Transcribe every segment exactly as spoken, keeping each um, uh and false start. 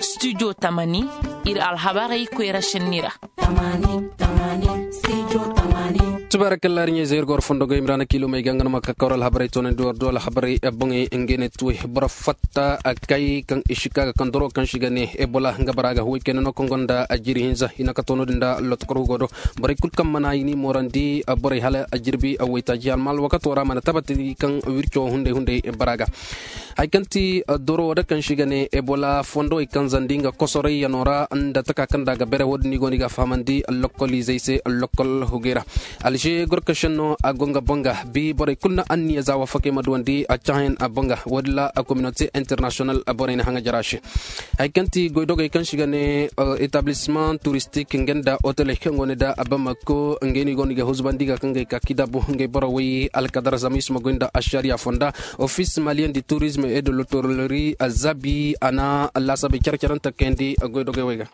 Studio tamani, iri alhabarey koyra senni ra. Tabarakalla iri ɲayze iri goro fondo goy imrana kilo may ga nga no ma ka kawra alhabarey toonandi war do alhabarey boŋey ngey ne tuwey boro fatta kay kaŋ i si ka ga kaŋ doro kaŋ si ga ne ebola nga bara ga huway kayna no kaŋ gonda jiri hinza i na ka toono din da lotokor hugo do. Borey kulu kaŋ mana i ni moorandi borey hala jirbi waytaaji alma alwakato ra mana tabati kaŋ wirco hunday hunday bara ga. Hari kaŋ ti doro wo da kaŋ si ga ne ebola fondowey kaŋ zandi nga kosorayyaŋo ra nda taka kaŋ da ga bere wo- din i go no i ga a fahamandi lokoliizey se lokol hugey ra. Alze gorkasen no a go nga boŋ ga bi borey kulu na anniya za wafakey ma duwandi a cahãyaŋ boŋ ga wo- din ra kominote internasiyonal borey na haŋa jara se. Hari kaŋ ti goydogey kaŋ si ga ne etablisman turistik nga nda oteley kaŋ go no da bamako ngey no i go no i ga huzubandi ga kaŋ ga i ka kidabu ngey boro way alkadar zama i si ma goy nda ašariya fonda. Ofis maliyen di turizm e de lotorolori a zabi a na laasabey care care nta kayandi goydogey wey ga.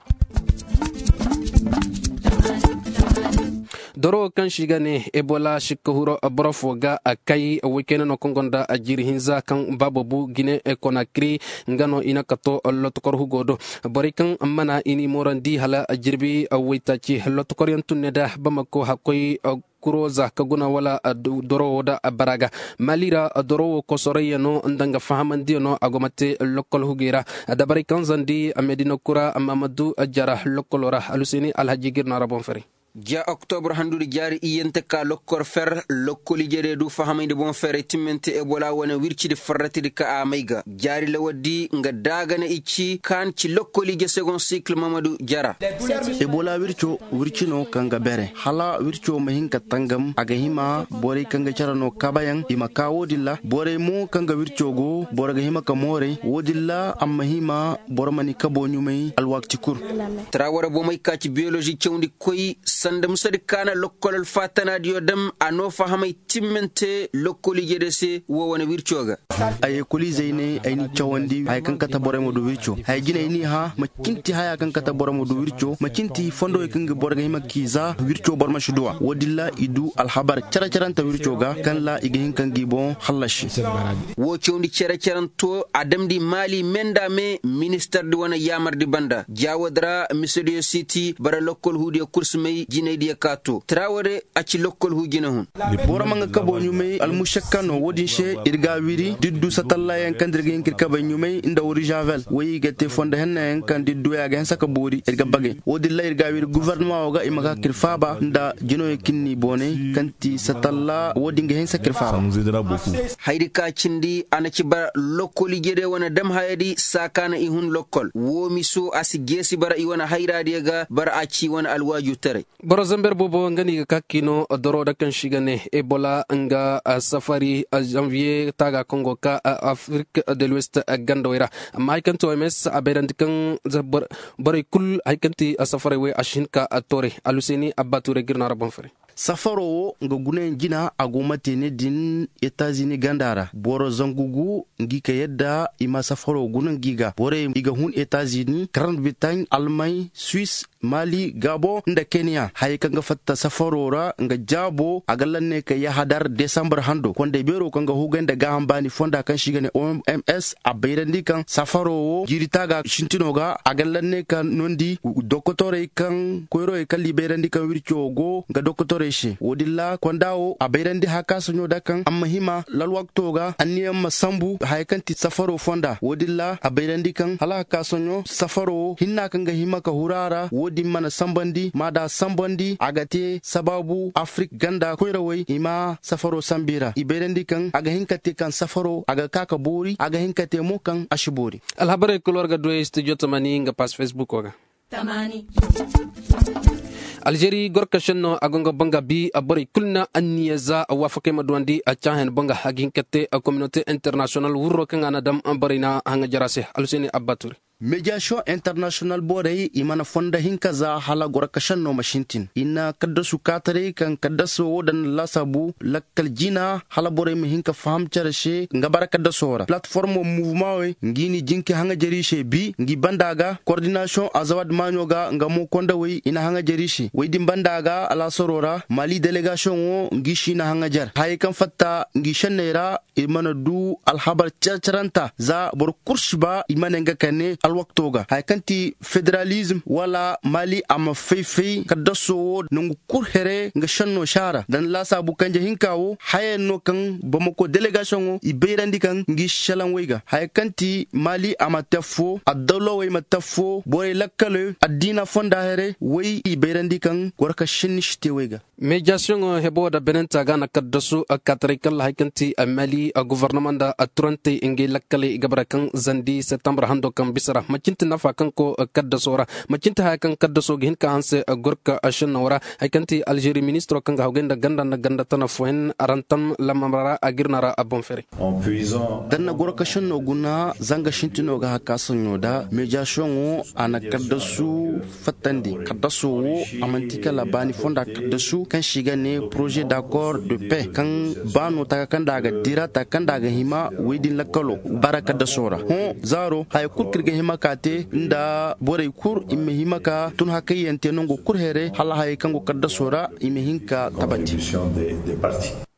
Doro kaŋ si ga ne ebola sikka huro boro fo ga a kay way kayna no kaŋ gonda a jiiri hinza kaŋ baabo bu gine konakiri nga no i na kato lotokor hugo do. Borey kaŋ mana i ni moorandi hala jirbi waytaaci lotokor yaŋ tunne da bamako hakkoy kuroza ka guna wala doro wo da bara ga. Mali ra doro wo kosorayyaŋo nda nga fahamandiyaŋo a go ma te lokol hugey ra. Dabarey kaŋ zandi medina kura mamadu jara lokolo ra alhuseeni alhaji ga iri no a ra boŋ fari. Ja oktobra handu da jaari iyyante ka lokkor fer lokkol ije day du fahamay nda boŋ ferey timmante ebola wane wirci da farrati da ka a may ga jaari lawar di nga daagana i ci kaani ci lokkol ije segon sikil mamadu jara. Ebola wirco wirci no kaŋ ga bere hala wirco ma hin ka tangam a ga hima borey kaŋ ga care no kaabayaŋ i ma ka wo- din ra borey mo kaŋ ga wirco go boro ga hima ka mooray wo- din ra a ma hima boro ma ni kabo ɲumay alwaakati kulu. Tara wara bomey ka ci biyolozi cawndi koy sanda musadi kaana lokkol alfaatanaadiyo dam a no fahamay timmante lokkol ije day se wo wane wirco ga. Ay ekoliizey ne ay n'i cawandi haya kaŋ kate borey ma du wirco haya jinay n'i hã ma cinti haya kaŋ kate borey ma du wirco ma cinti fondowey kaŋ ga boro ga hima k'i za wirco boro ma si duw'a wo- din ra i du alhabar care care nta wirco ga kaŋ ra i ga hin ka ngi boŋ hallasi. Wo cawndi care care nto a damndi maali me nda me ministar di wane yaamar di banda ja wo- din ra misediyo siiti bara lokkol huudiyo kulu si may jinay diyo ka to tara wo- din a ci lokkol huu jina hun. Boro ma nga kabo ɲumay almušakka no wo- din se iri ga a wiri diddu satallayaŋ kaŋ da iri ga hin ka iri kabey ɲumay nda wuri žavel way i ga te fondo henna yaŋ kaŋ da iri du ya ga hanse ka boori iri ga bagay wo- din ra iri ga a wiri guvarnama wo ga i ma ga ka iri faaba nda jinoyey kaŋ ni boonay kaŋ ti satalla wo- din ga hanse ka iri faaba. Hayri ka cindi a na ci bara lokkol ije day wane dam haya di saakaana i hun lokkol wo miso a si jeesi bara i wane hayra diyo ga bara a ci i wane alwaaju taray. Boro zamber boobo nga no i ga ka ka i no doro da kaŋ si ga ne ebola nga safari zanviye taaga kaŋ go ga ka afrik de l'ouest gandawey ra. Amma hari kaŋ ti oms a bayrandi kaŋ borey kulu hari kaŋ ti safaray wey a si hin ka tooray alhuseeni abba tuuray ga iri no a ra boŋ fari. Safaro wo nga gunayaŋ jina a go ma te ne din etazini ganda ra boro zangu gu ngi ka yadda i ma safaro guna ngi ga borey i ga hun etazini karant bitaŋ almay suis mali gabo nda keniya hayey kaŋ ga fatta safaro ra nga jaabo a ga lanne ka yahadar desambar hando kondey beero kaŋ ga hugay nda gaaham baani fonda kaŋ si ga ne oms a bayrandi kaŋ safaro wo jiiri taaga sintino ga a ga lanne ka nondi dokotorey kaŋ koyrowey kaŋ liibayrandi kaŋ wirco go nga dokotorey se wo- din ra konda wo a bayrandi hakasaɲo da kaŋ a ma hima lalwakto ga anniyaŋ ma sambu haya kaŋ ti safaro fonda wo- din ra a bayrandi kaŋ hala hakasaɲo safaro wo hinna kaŋ ga hima ka huru a ra wo- din mana sambandi ma da sambandi a ga te sabaabu afrik ganda koyrawey i ma safaro sambu i ra i bayrandi kaŋ a ga hin ka te kaŋ safaro a ga ka ka boori a ga hin ka te mo kaŋ a si boori. Alhabarey kulu war ga duwey studio tamani nga pass facebook wo ga. Alzeeri gorkasen no a go nga banga bi borey kulu na anniya za waafakey ma duwandi a caahen banga a ga hin ka te kominote internasiyonal wurro kaŋ a na dam borey na haŋa jara se alhuseeni abba tuuri. Mediyasiyoŋ internasiyonal borey i mana fondo hinka za hala goro ka senno ma sintin i na kaddasu kaataray kaŋ kaddaso wo daŋ na laasaabu lakkal jina hala borey ma hin ka faham care se nga bara kaddaso ra palateformo muvuma wey ngi na i jinki haŋajari se bi ngi banda ga kordinasiyoŋ azawad maaɲo ga nga mo kondawey i na haŋajari se wey din banda ga alaasaro ra mali delegasiyoŋo ngi si na haŋajar hayey kaŋ fatta ngi senney ra i mana du alhabar care-caranta za boro kulu si ba i ma ne nga kande alwakto ga haya kaŋ ti federalizm wala mali a ma fay-fay kaddaso wo nangu kulu here nga senno si a ra da ni laasaabu kanje hinka wo haya yaŋ no kaŋ bamako delegasiyoŋo i bayrandi kaŋ ngi si salaŋ way ga haya kaŋ ti mali a ma te affo addawlawey ma te affo borey lakkaloy addiina fonda here way i bayrandi kaŋ goro ka senni si te way ga. Meejasiyoŋo hebo da benenta ga na kaddasu kaataray kalla hari kaŋ ti mali gofornama nda turantey ngey lakkaley i ga bara kaŋ zandi septembre hando kaŋ bisa ra macinti nafa kaŋ ko kaddaso ra macinti haya kaŋ kaddaso ga hin ka hanse gorka shennawo ra hari kaŋ ti algeri ministiro kaŋ ga hawgay nda ganda nda ganda tana fohen arantam lamamra ra a ga iri no ra a boŋ fere. Da ni na gorka shenno guna zanga shintino ga hakka soɲo da meejasiyoŋo a na kaddasu fattandi kaddaso wo a manti kala baani fonda kaddasu kaŋ se i ga ne projet d'accord de paix kaŋ baano taka kaŋ da a ga dira taka kaŋ da a ga hima woy din lakkalo bara kaddaso ra hõ zaaro haya kulu kaŋ iri ga hima ka te nda borey kulu i ma hima ka tun hakayyaŋ te nango kulu here hala hayey kaŋ go kaddaso ra i ma hin ka tabati.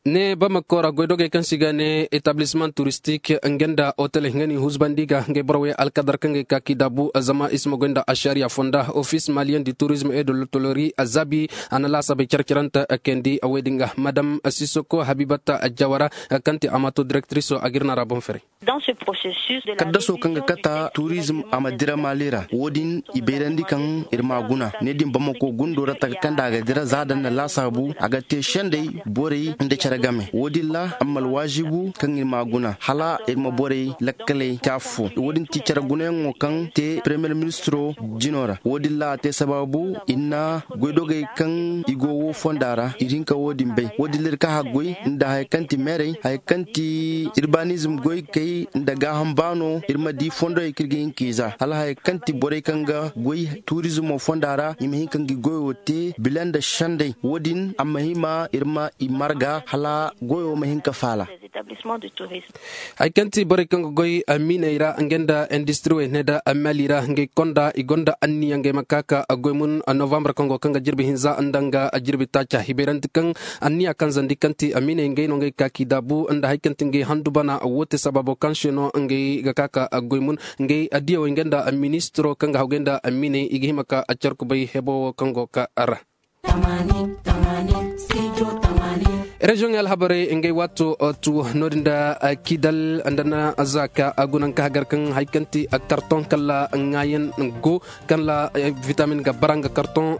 Ne bamako ra goydogey kaŋ se i ga ne etablissemen touristique nga nda hotel nga no i huzbandi ga ngey borowey alkadar kaŋ ga ay ka k'i daabu zama i si ma goy nda ashariya fonda office malien du tourisme et de l'hôtellerie azabi a na laasabey care-carante kayandi woy din ga madame sisoko habibata jawara kaŋ ti amato directriso a ga iri no a ra boŋ fere. Kaddaso kaŋ ga kata turizm a ma dira mali ra wo- din i bayrandi kaŋ iri ma guna ne din bamako gundo ra taka kaŋ da a ga dira za daŋ na laasaabu a ga te sendey borey nda care game wo- din ra a ma alwaazibu kaŋ iri ma guna hala iri ma borey lakkaley te affo wo- din ti care gunayaŋo kaŋ te premiyer ministiro jino ra wo- din ra a te sabaabu iri na goydogey kaŋ i go wo fonda ra iri hinka wo- din bay wo- din ra iri ka haggoy nda haya kaŋ ti meerey haya kaŋ ti irbanizm goy kay nda gaaham baano iri ma di fondoyey kaŋ iri ga hin k'i za hala haya kaŋ ti borey kaŋ ga goy turizmo fonda ra i ma hin ka ngi goyo te bila nda sendey wo- din a ma hima iri ma i marga hala goyo ma hin ka faala. Hari kaŋ ti borey kaŋ ga goy miiney ra nga nda industiriwey ne nda mali ra ngey konda i gonda anniya ngey ma ka ka goy mun novembre kaŋ go kaŋ ga jirbi hinza nda nga jirbi taaca i bayrandi kaŋ anniya kaŋ zandi kaŋ ti miiney ngey no ngey ga ka k'i daabu nda hari kaŋ ti ngey handu bana wo te sabaabo kaŋ se no ngey ga ka ka goy mun ngey adiyawey nga nda ministiro kaŋ ga hawgay nda miiney i ga hima ka care kubay hebo wo kaŋ go ka ra. Reziyoŋey alhabarey ngey waato tu no- din nda kidal nda na za ka guna nga ka hagar kaŋ hari kaŋ ti karton kala ŋaayan go kaŋ ra vitamin ga bara nga karton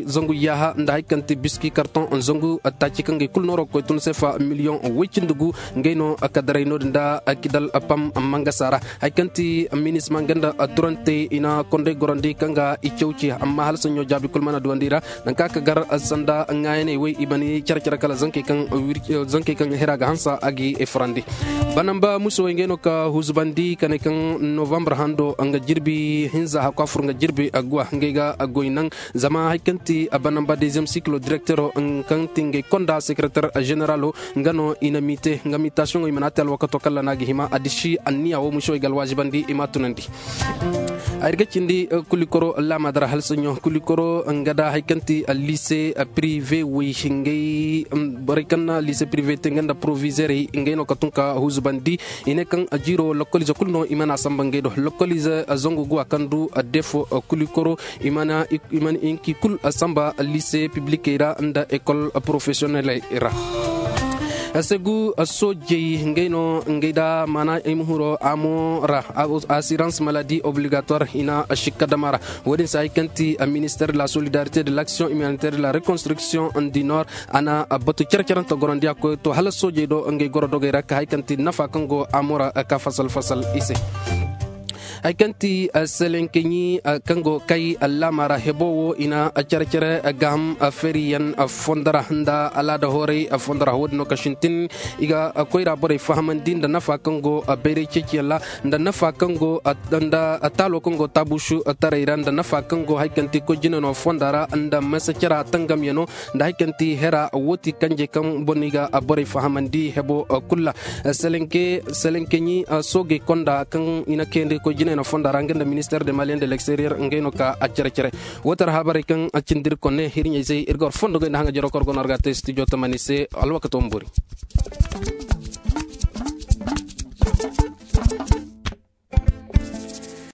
zangu yaaha nda hari kaŋ ti biski karton zangu taaci kaŋ ngey kulu nooro ga koy tun seefa miliyoŋ way cindi gu ngey no ka daray no- din nda kidal pam mangasa ra hari kaŋ ti minisma nga nda turantey i na kondey gorandi kaŋ ga i cawci amma hala sanɲo jaabi kulu mana duwandi ra nangu kaŋ a ga gar sanda ŋaayaney way i mana care care kala zankey kaŋ hira ga hansa a ga i furandi. Banamba muso way ngey no ka huzubandi ka ne kaŋ novembre hando nga jirbi hinza hakwa fur nga jirbi guwa ngey ga goy naŋ zama hari kaŋ ti banamba deuxième cycle directero kaŋ ti ngey konda secrétaire généralo nga no i na miite nga miitasiyoŋo i mana te alwakato kala no a ga hima a disi anniya wo muso i ga alwaazibandi i ma a tunandi. Ay ga cindi kulikoro laama dara halsanyo kulikoro nga da hari kaŋ ti lycée privé way ngey borey kaŋ na lycée privé te nga nda proviseurey ngey no ka tun ka huzubandi i ne kaŋ jiiro lokolize kulu no i mana samba ngey do lokolize zangu guwa kaŋ du defo kulikoro i mana hinki kulu samba lycée publikey ra nda école professionneley ra. Segu soojey ngey no ngey da maana ay ma huro amo ra assurance maladie obligatoire i na shikka dama ra. Wo- din se hari kaŋ ti ministère de la solidarité de l'action humanitaire de la reconstruction du nord a na batu care carante gorandiya koy to hala soojey do ngey goro dogey ra ka hari kaŋ ti nafa kaŋ go amo ra ka fasal fasal i se. Hari kaŋ ti selenkeɲi kaŋ go kay allaama ra hebo wo i na care care gaaham feeriyaŋ fondo ra nda alaada hooray fondo ra wo din no ka sintin i ga koyra borey fahamandi nda nafa kaŋ go bayray ceeciyaŋ ra nda nafa kaŋ go nda taalo kaŋ go taabuusu taray ra nda nafa kaŋ go hari kaŋ ti koy jine no fonda ra nda masa cara tangamyaŋo nda hari kaŋ ti hera wo ti kanje kaŋ boŋ no i ga borey fahamandi hebo kulu ra. Selenke selenkeɲi soogey konda kaŋ i na kayandi koy jine no fonda ra nga nda minister de maliyen de l'exterieur ngey no ka care care. Wo tara habarey kaŋ cindi iri konne iri ɲayzey iri ga war fondo goy nda haŋa jaro kor go no war ga te studio tamani se. Alwakato ma boori.